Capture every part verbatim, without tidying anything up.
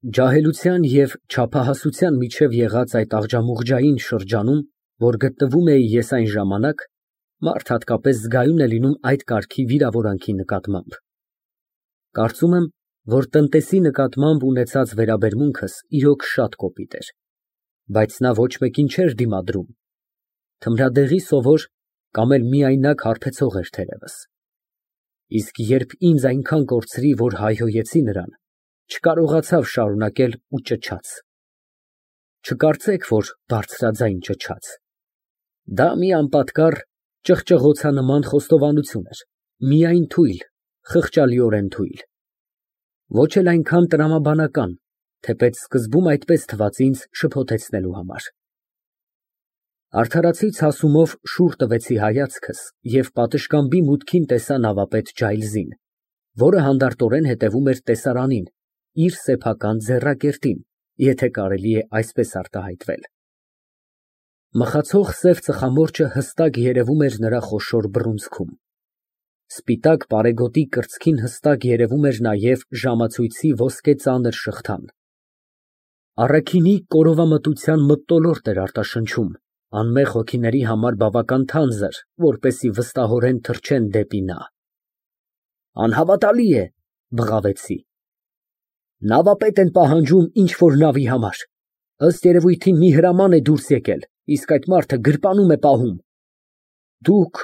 Ջահելության և չափահասության միջև եղած այդ աղջամուղջային շրջանում, որ գտնվում էի ես այն ժամանակ, մարդ հատկապես զգայուն է լինում այդ կարգի վիրավորանքի նկատմամբ։ Կարծում եմ, որ տնտեսի նկատմամբ ունեցած վերաբերմունքս իրոք շատ կոպիտ էր, բայց նա ոչ մեկին չէր դիմադրում, թմրադեղի սովոր կամ էլ միայնակ հարբեցող էր թերևս, իսկ երբ ինձ այնքան կորցրի, որ հայհոյեցի նրան, չկարողացավ շարունակել ու ճչաց։ Չկարծեք, որ բարձրաձայն ճչաց, դա մի անպատկառ, ճղճղոցանման խոստովանություն էր, միայն թույլ, խղճալիորեն թույլ, ոչ էլ այնքան տրամաբանական, թեպետ սկզբում այդպես թվաց ինձ շփոթեցնելու համար։ Արդարացի ցասումով շուռ տվեցի հայացքս և պատշգամբի մուտքին տեսա նավապետ Ջայլզին, որը հանդարտորեն հետևում էր տեսարանին, իր սեփական ձեռակերտին, եթե կարելի է այսպես արտահայտվել։ Մխացող սև ծխամորճը հստակ երևում էր նրա խոշոր բռունցքում, սպիտակ պարեգոտի կրծքին հստակ երևում էր նաև ժամացույցի ոսկե ծանր շղթան։ Առաքինի կորովամտության մթնոլորտ էր արտաշնչում, անմեղ հոգիների համար բավական թանձր, որպեսզի վստահորեն թռչեն դեպի նա։ Անհավատալի է, բղավեցի։ Նավապետ են պահանջում ինչ֊որ նավի համար, ըստ երևույթին մի հրաման է դուրս եկել, իսկ այդ մարդը գրպանում է պահում։ Դուք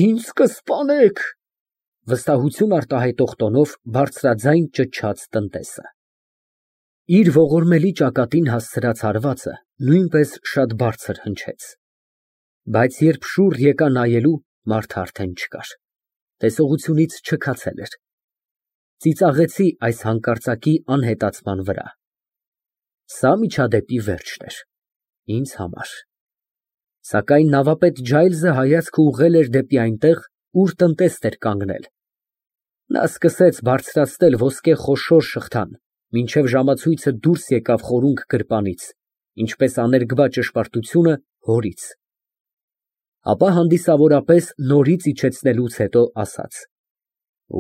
ինձ կսպանեք, վստահություն արտահայտող տոնով բարձրաձայն ճչաց տնտեսը։ Իր ողորմելի ճակատին հասցրած հարվածը նույնպես շատ բարձր հնչեց, բայց երբ շուռ եկա նայելու, մարդը արդեն չկար, տեսողությունից չքացել էր։ Ծիծաղեցի այս հանկարծակի անհետացման վրա։ Սա միջադեպի վերջն էր, ինձ համար։ Սակայն նավապետ Ջայլզը հայացքը ուղղել էր դեպի այնտեղ, ուր տնտեսն էր կանգնել։ Նա սկսեց բարձրացնել ոսկե խոշոր շղթան, մինչև ժամացույցը դուրս եկավ խորունգ գրպանից, ինչպես աներկբա ճշմարտությունը հորից։ Ապա հանդիսավորապես նորից իջեցնելուց հետո ասաց.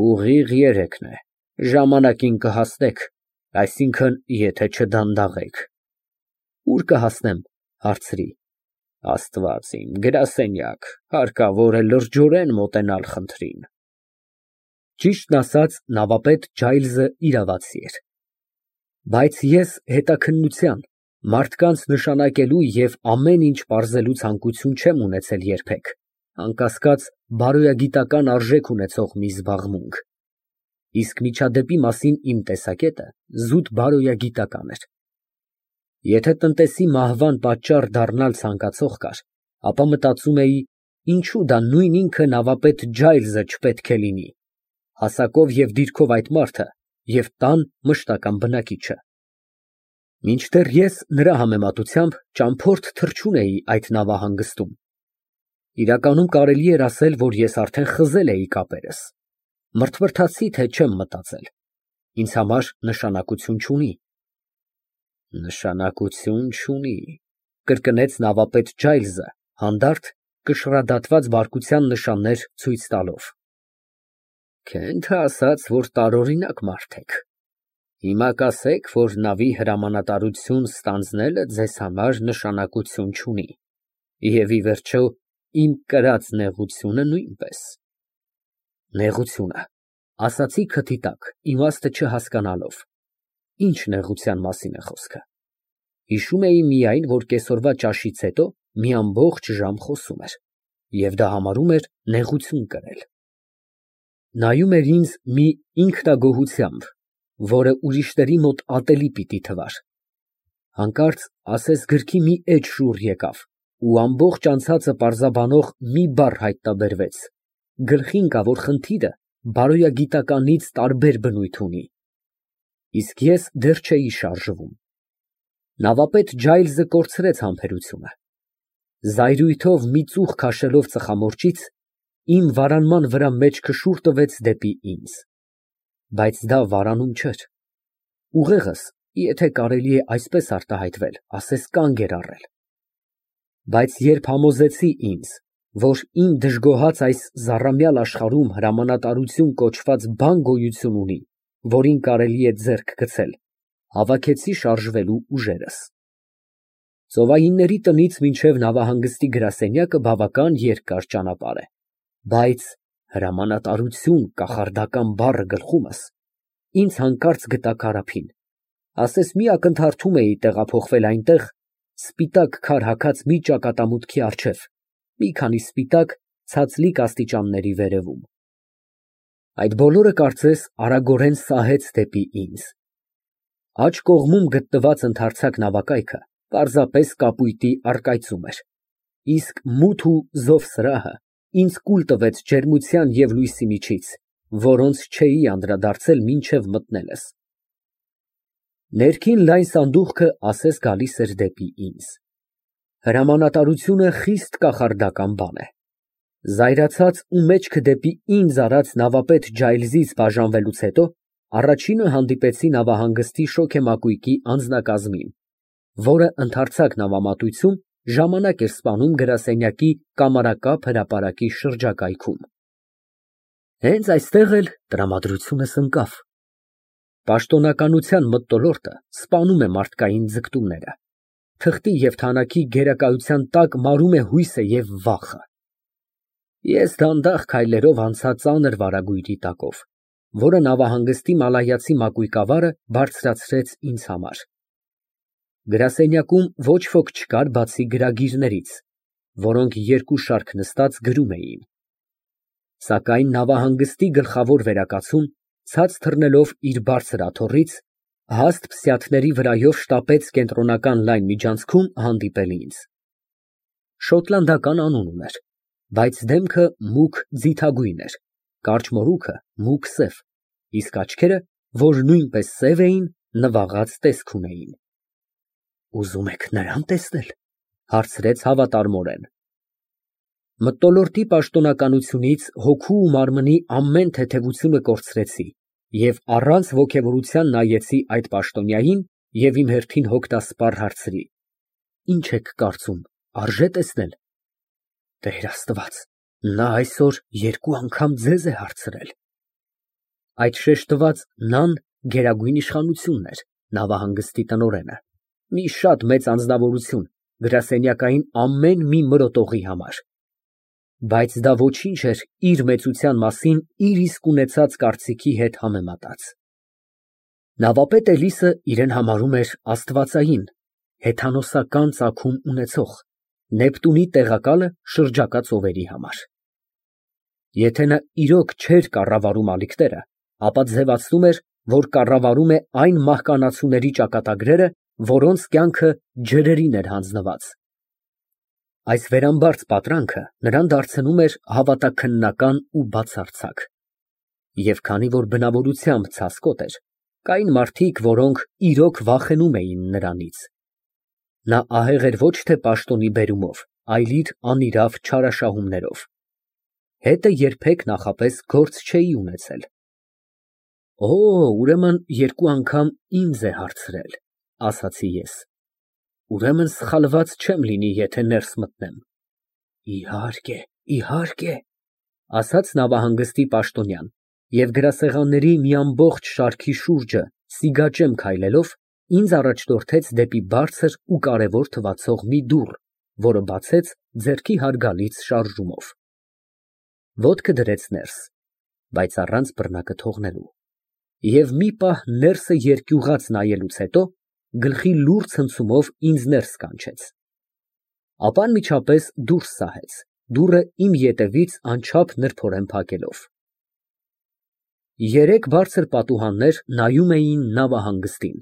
Ուղիղ երեքն է, ժամանակին կհասնեք, այսինքն՝ եթե չդանդաղեք։ Ուր կհասնեմ, հարցրի։ Աստված իմ, գրասենյակ, հարկավոր է լրջորեն մոտենալ խնդրին։ Ճիշտն ասած, նավապետ Ջայլզը իրավացի էր։ Բայց ես հետաքննության, մարդկանց նշանակելու և ամեն ինչ պարզելու ցանկություն չեմ ունեցել երբեք, անկասկած, բարոյագիտական արժեք ունեցող մի զբաղմունք, իսկ միջադեպի մասին իմ տեսակետը զուտ բարոյագիտական էր։ Եթե տնտեսի մահվան պատճառ դառնալ ցանկացող կար, ապա մտածում էի, ինչու դա նույն ինքը նավապետ Ջայլզը չպետք է լինի, հասակով և դիրքով այդ մարդը և տան մշտական բնակիչը։ Մինչդեռ ես նրա համեմատությամբ ճամփորդ թռչուն էի այդ նավահանգստում։ Իրականում կարելի էր ասել, որ ես արդեն խզել էի կապերս, մրթմրթացի, թե չեմ մտածել, ինձ համար նշանակություն չունի։ Նշանակություն չունի, կրկնեց նավապետ Ջայլզը, հանդարտ, կշռադատված բարկության նշաններ ցույց տալով։ Քենթը ասաց, որ տարօրինակ մարդ եք։ Հիմա կասեք, որ նավի հրամանատարություն ստանձնելը ձեզ համար նշանակություն չունի, և ի վերջո, իմ կրած նեղությունը նույնպես։ Նեղությունը, ասացի քթի տակ, իմաստը չհասկանալով։ Ինչ նեղության մասին է խոսքը։ Հիշում էի միայն, որ կեսօրվա ճաշից հետո մի ամբողջ ժամ խոսում էր, և դա համարում էր նեղություն կրել։ Նայում էր ինձ մի ինքնագոհությամբ, որը ուրիշների մոտ ատելի պիտի թվար։ Հանկարծ ասես գրքի մի էջ շուռ եկավ, ու ամբողջ անցածը պարզաբանող մի բառ հայտնաբերվեց, գլխի ընկավ, որ խնդիրը բարոյագիտականից տարբեր բնույթ ունի։ Իսկ ես դեռ չէի շարժվում։ Նավապետ Ջայլզը կորցրեց համբերությունը։ Զայրույթով մի ծուխ քաշելով ծխամորճից, իմ վարանման վրա մեջքը շուռ տվեց դեպի ինձ։ Բայց դա վարանում չէր։ Ուղեղս, եթե կարելի է այսպես արտահայտվել, ասես կանգ էր առել։ Բայց երբ համոզեցի ինձ, որ իմ դժգոհած այս զառամյալ աշխարհում հրամանատարություն կոչված բան գոյություն ունի, որին կարելի է ձեռք գցել, Հավաքեցի շարժվելու ուժերս։ Ծովայինների տնից մինչև նավահանգստի գրասենյակը բավական երկար ճանապարհ է, բայց հրամանատարություն կախարդական բառը գլխումս, ինձ հանկարծ գտա Կարափին, ասես մի ակնթարթում էի տեղափոխվել այնտեղ, սպիտակ քար հագած մի ճակատամուտքի առջև, մի քանի սպիտակ ցածլիկ աստիճանների վերևում։ Այդ բոլորը կարծես արագորեն սահեց դեպի ինձ։ Աջ կողմում գտնված ընդարձակ նավակայքը պարզապես կապույտի առկայծում էր, իսկ մութ ու զով սրահը ինձ կուլ տվեց ջերմության և լույսի միջից, որոնց չէի անդրադարձել մինչև մտնելս։ Ներքին լայն սանդուղքը ասես գալիս էր դեպի ինձ։ Հրամանատարությունը խիստ կախարդական բան է։ Զայրացած ու մեջքը դեպի ինձ արած նավապետ Ջայլզից բաժանվելուց հետո առաջինը հանդիպեցի նավահանգստի շոգեմակույկի անձնակազմին, որը ընդարձակ նավամատույցում ժամանակ էր սպանում գրասենյակի կամարակապ հրապարակի շրջակայքում։ Հենց այստեղ էլ տրամադրությունս ընկավ։ Պաշտոնականության մթնոլորտը սպանում է մարդկային ձգտումները, թղթի և թանաքի գերակայության տակ մարում է հույսը և վախը։ Ես դանդաղ քայլերով անցա ծանր վարագույրի տակով, որը նավահանգստի մալայացի մակույկավարը բարձրացրեց ինձ համար։ Գրասենյակում ոչ ոք չկար բացի գրագիրներից, որոնք երկու շարք նստած գրում էին։ Սակայն նավահանգստի գլխավոր վերակացուն, ցած թռնելով իր բարձր աթոռից, հաստ փսյաթների վրայով շտապեց կենտրոնական լայն միջանցքում հանդիպել ինձ։ Շոտլանդական անուն ուներ, բայց դեմքը մուգ ձիթագույն էր, կարճ մորուքը մուգ սև, իսկ աչքերը, որ նույնպես սև էին, նվաղած տեսք ունեին։ Ուզում եք նրան տեսնել, ֊ հարցրեց հավատարմորեն։ Մթնոլորտի պաշտոնականությունից հոգու ու մարմնի ամեն թեթևությունը կորցրեցի և առանց ոգևորության նայեցի այդ պաշտոնյային և իմ հերթին հոգնասպառ հարցրի. Ինչ եք կարծում, արժե՞ տեսնել։ Տեր Աստված, նա այսօր երկու անգամ ձեզ է հարցրել։ Այդ շեշտված նան գերագույն իշխանությունն էր, նավահանգստի տնօրենը, մի շատ մեծ անձնավորություն գրասենյակային ամեն մի մրոտողի համար։ Բայց դա ոչինչ էր իր մեծության մասին իր իսկ ունեցած կարծիքի հետ համեմատած։ Նավապետ Էլիսը իրեն համարում էր աստվածային, հեթանոսական ծագում ունեցող, Նեպտունի տեղակալը շրջակա ծովերի համար։ Եթե նա իրոք չէր կառավարում ալիքները, ապա ձևացնում էր, որ կառավարում է այն մահկանացուների ճակատագրերը, որոնց կյանքը ջրերին էր հանձնված։ Այս վերամբարձ պատրանքը նրան դարձնում էր հավատաքննական ու բացարձակ։ Եվ քանի որ բնավորությամբ ցասկոտ էր, կային մարդիկ, որոնք իրոք վախենում էին նրանից։ Նա ահեղ էր ոչ թե պաշտոնի բերումով, այլ իր անիրավ չարաշահումներով։ Հետը երբեք նախապես գործ չէի ունեցել։ Օ, ուրեմն երկու անգամ ինձ է հարցրել, ասացի ես։ Ուրեմն սխալված չեմ լինի, եթե ներս մտնեմ։ Իհարկե, իհարկե, ասաց նավահանգստի պաշտոնյան և գրասեղանների մի ամբողջ շարքի շուրջը սիգաճեմ քայլելով ինձ առաջնորդեց դեպի բարձր ու կարևոր թվացող մի դուռ, որը բացեց ձեռքի հարգալից շարժումով։ Ոտքը դրեց ներս, բայց առանց բռնակը թողնելու, և մի պահ ներսը երկյուղած նայելուց հետո գլխի լուռ ցնցումով ինձ ներս կանչեց։ Ապա անմիջապես դուրս սահեց, դուռը իմ ետևից անչափ նրբորեն փակելով։ Երեք բարձր պատուհաններ նայում էին նավահանգստին։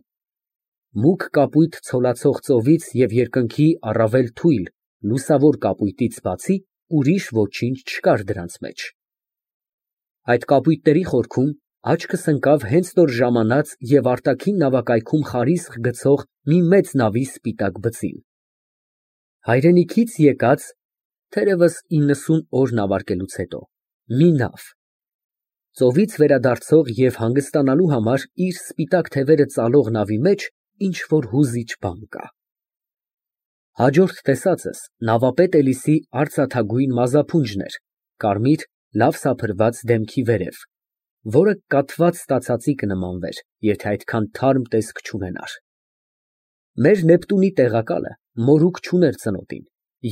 Մուգ կապույտ ցոլացող ծովից և երկնքի առավել թույլ, լուսավոր կապույտից բացի ուրիշ ոչինչ չկար դրանց մեջ։ Այդ կապույտների խորքում աչքս ընկավ հենց նոր ժամանած և արտաքին նավակայքում խարիսկ գցող մի մեծ նավի սպիտակ բծին։ Հայրենիքից եկած, թերևս իննսուն օր նավարկելուց հետո, մի նավ։ Ծովից վերադարձող և հանգստանալու համար իր սպիտակ թևերը ծալող նավի մեջ ինչ֊որ հուզիչ բան կա։ Հաջորդ տեսածս նավապետ Էլիսի արծաթագույն մազափունջն էր, կարմիր, լավ սափրված դեմքի վերև, որը կաթված ստացածի կնմանվեր, եթե այդքան թարմ տեսք չունենար։ Մեր Նեպտունի տեղակալը մորուք չուներ ծնոտին,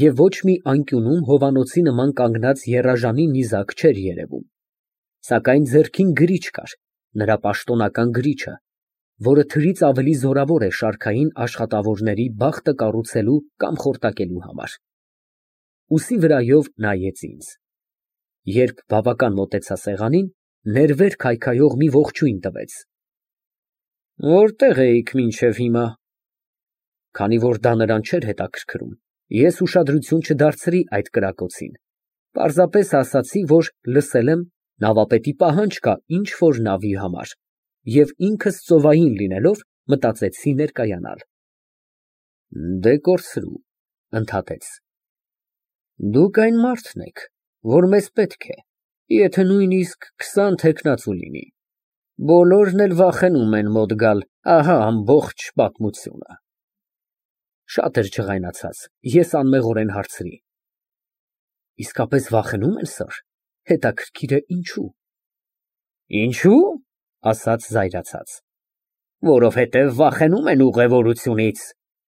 և ոչ մի անկյունում հովանոցի նման կանգնած եռաժանի նիզակ չէր երևում, սակայն ձեռքին գրիչ կար, նրա պաշտոնական գրիչը, որը թրից ավելի զորավոր է շարքային աշխատավորների բախտը կառուցելու կամ խորտակելու համար։ Ուսի վրայով նայեց ինձ։ Երբ բավական մոտեցա սեղանին, ներվեր քայքայող մի ողջույն տվեց։ Որտե՞ղ էիք մինչև հիմա։ Քանի որ դա նրան չէր հետաքրքրում, ես ուշադրություն չդարձրի այդ կրակոցին, պարզապես ասացի, որ լսել եմ, նավապետի պահանջ կա ինչ֊որ նավի համար, և ինքս ծովային լինելով, մտածեցի ներկայանալ։ Դե կորցրու, ընդհատեց։ Դուք այն մարդն եք, որ մեզ պետք է, եթե նույնիսկ քսան թեկնածու լինի, բոլորն էլ վախենում են մոտ գալ, ահա ամբողջ պատմությունը։ Շատ էր ջղայնացած, ես անմեղորեն հարցրի. Իսկապես վախենու՞մ են, սըր, հետաքրքիր է ինչու։ Ինչու՞, ասաց զայրացած։ Որովհետև վախենում են ուղևորությունից,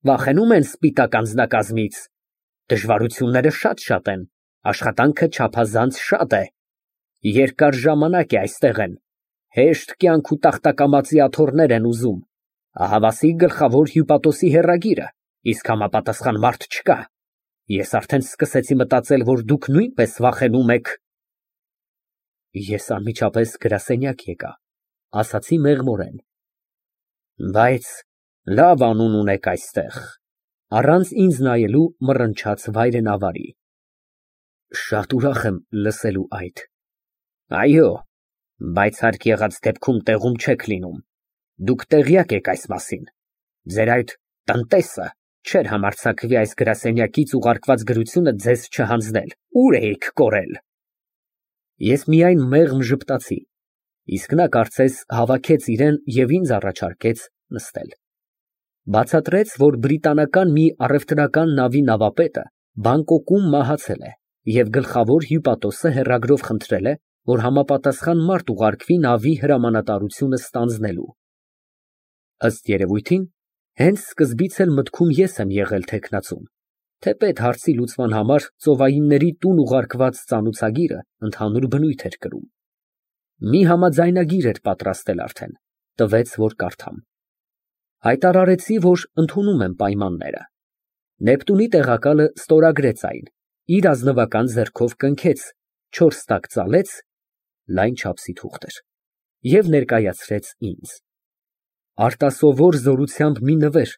վախենում են սպիտակ անձնակազմից, դժվարությունները շատ-շատ են, աշխատանքը չափազանց շատ է, երկար ժամանակ է այստեղ են, հեշտ կյանք ու տախտակամածի աթոռներ են ուզում, ահավասիկ գլխավոր հյուպատոսի հեռագիրը, իսկ համապատասխան մարդ չկա։ Ես արդեն սկսեցի մտածել, որ դուք նույնպես վախենում եք։ Ես անմիջապես գրասենյակ եկա, ասացի մեղմորեն։ Բայց լավ անուն ունեք այստեղ, առանց ինձ նայելու մռնչաց վայրենավարի։ Շատ ուրախ եմ լսելու այդ։ Այո, բայց հարկ եղած դեպքում տեղում չեք լինում, դուք տեղյակ եք այս մասին, ձեր այդ տնտեսը չէր համարձակվի այս գրասենյակից ուղարկված գրությունը ձեզ չհանձնել, ուր էիք կորել։ Ես միայն մեղմ ժպտացի, իսկ նա կարծես հավաքեց իրեն և ինձ առաջարկեց նստել։ Բացատրեց, որ բրիտանական մի առևտրական նավի նավապետը Բանգկոկում մահացել է, և գլխավոր հյուպատոսը հեռագրով խնդրել է, որ համապատասխան մարդ ուղարկվի նավի հրամանատարությունը ստանձնելու։ Ըստ երևույթին, հենց սկզբից էլ մտքում ես եմ եղել թեկնածուն, թեպետ հարցի լուծման համար ծովայինների տուն ուղարկված ծանուցագիրը ընդհանուր բնույթ էր կրում։ Մի համաձայնագիր էր պատրաստել արդեն, տվեց, որ կարդամ։ Հայտարարեցի, որ ընդունում եմ պայմանները։ Նեպտունի տեղակալը ստորագրեց այն, իր ազնվական ձեռքով կնքեց, չորս տակ ծալեց, լայն չափսի թուղթ էր, և ներկայացրեց ինձ։ Արտասովոր զորությամբ մի նվեր,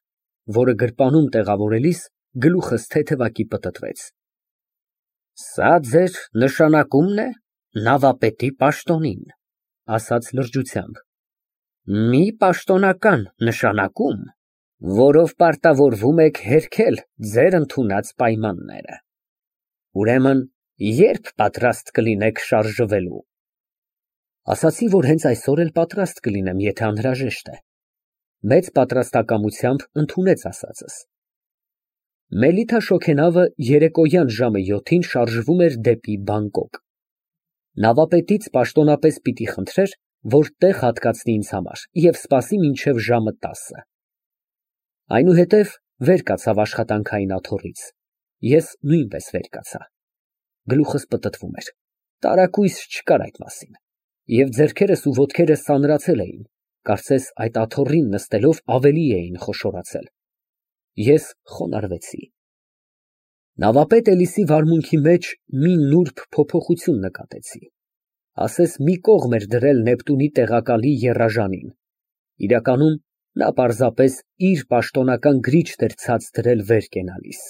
որը գրպանում տեղավորելիս գլուխս թեթևակի պտտվեց։ Սա ձեր նշանակումն է նավապետի պաշտոնին, ասաց լրջությամբ։ Մի պաշտոնական նշանակում, որով պարտավորվում եք հերքել ձեր ընդունած պայմանները։ Ուրեմն, երբ պատրաստ կլինեք շարժվելու։ Ասացի, որ հենց այսօր էլ պատրաստ կլինեմ, եթե անհրաժեշտ է։ Մեծ պատրաստակամությամբ ընդունեց ասածս։ Մելիթա շոգենավը երեկոյան ժամը յոթին շարժվում էր դեպի Բանգկոկ։ Նավապետից պաշտոնապես պիտի խնդրեր, որ տեղ հատկացնի ինձ համար և սպասի մինչև ժամը տասը։ Այնուհետև վեր կացավ աշխատանքային աթոռից։ Ես նույնպես վեր կացա։ Գլուխս պտտվում էր, տարակույս չկար այդ մասին, և ձեռքերս ու ոտքերս ծանրացել էին, կարծես այդ աթոռին նստելով ավելի էին խոշորացել։ Ես խոնարհվեցի։ Նավապետ Էլիսի վարմունքի մեջ մի նուրբ փոփոխություն նկատեցի, ասես մի կողմ էր դրել Նեպտունի տեղակալի եռաժանին, իրականում նա պարզապես իր պաշտոնական գրիչն էր ցած դրել վեր կենալիս։